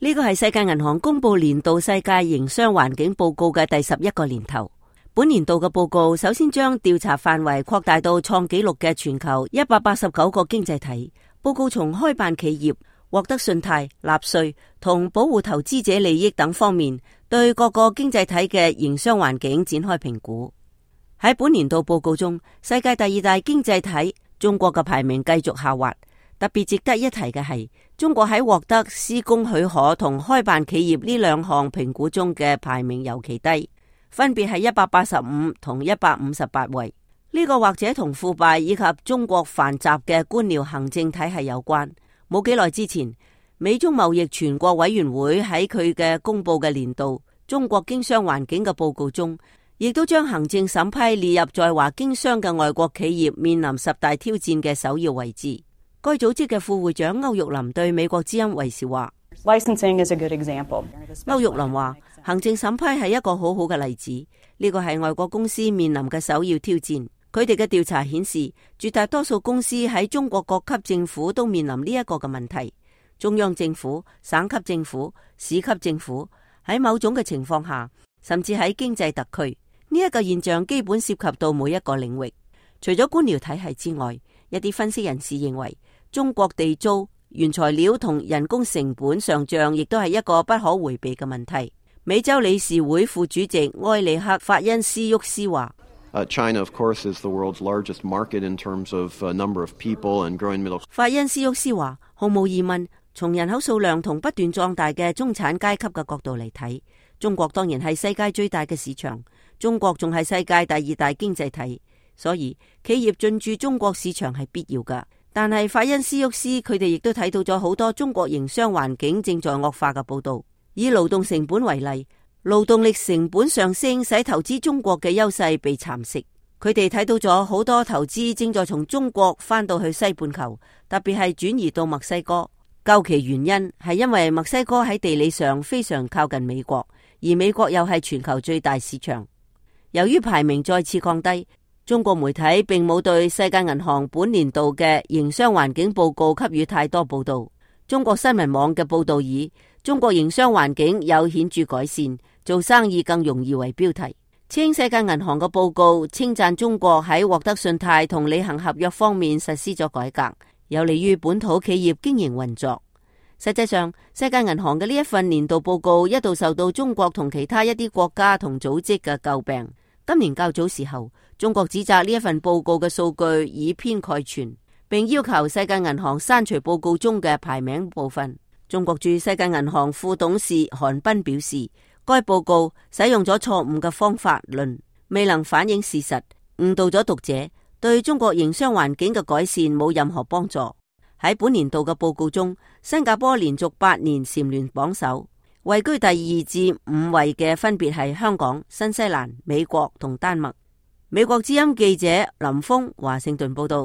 呢個係世界銀行公布年度世界營商環境報告嘅第11個年頭。本年度嘅報告首先將調查範圍擴大到創紀錄嘅全球189個經濟體。報告從開辦企業、獲得信貸、納稅同保護投資者利益等方面，對各個經濟體嘅營商環境展開評估。喺本年度報告中，世界第2大經濟體中國嘅排名繼續下滑。特別值得一提嘅係，中國喺獲得施工許可同開辦企業呢兩項評估中嘅排名尤其低，分別係185同158位。呢個或者同腐敗以及中國繁雜嘅官僚行政體系有關。冇幾耐之前，美中貿易全國委員會喺佢嘅公布嘅年度中國經商環境嘅報告中，亦都將行政審批列入在華經商嘅外國企業面臨10大挑戰嘅首要位置。該組織嘅副會長歐玉林對美國之音衛視話：Licensing is a good example. 歐玉林話，行政審批係一個好好嘅例子，呢個係外國公司面臨嘅首要挑戰。佢哋嘅調查顯示，絕大多數公司喺中國各級政府都面臨呢一個嘅問題。中央政府、省級政府、市級政府喺某種嘅情況下，甚至喺經濟特區，呢一個現象基本涉及到每一個領域。除咗官僚體系之外，一啲分析人士認為，中國地租、原材料同人工成本上漲亦都係一個不可迴避嘅問題。美洲理事會副主席埃里克·法恩斯沃斯話：China, of course, is the world's largest market in terms of number of people and growing middle. 法恩斯沃斯話：毫無疑問，從人口數量同不斷壯大嘅中產階級嘅角度嚟睇，中國當然係世界最大嘅市場，中國仲係世界第2大經濟體，所以企業進駐中國市場係必要㗎。但係法恩斯沃斯佢哋亦都睇到咗好多中國營商環境正在惡化嘅報道。以勞動成本為例，勞動力成本上升使投資中國嘅優勢被蠶食。佢哋睇到咗好多投資正在從中國翻到去西半球，特別係轉移到墨西哥。究其原因係因為墨西哥喺地理上非常靠近美國，而美國又係全球最大市場。由於排名再次降低，中國媒體並冇對世界銀行本年度嘅營商環境報告給予太多報道。中國新聞網嘅報道以中國營商環境有顯著改善，做生意更容易為標題，稱世界銀行嘅報告稱讚中國喺獲得信貸同履行合約方面實施咗改革，有利於本土企業經營運作。實際上，世界銀行嘅呢一份年度報告一度受到中國同其他一啲國家同組織嘅詬病。今年較早時候，中國指責呢一份報告嘅數據以偏概全，並要求世界銀行刪除報告中嘅排名部分。中國駐世界銀行副董事韓彬表示，該報告使用咗錯誤嘅方法論，未能反映事實，誤導咗讀者，對中國營商環境嘅改善冇任何幫助。喺本年度嘅報告中，新加坡連續8年蟬聯榜首，位居第2至5位嘅分別係香港、新西蘭、美國同丹麥。美國之音記者林峰華盛頓報道。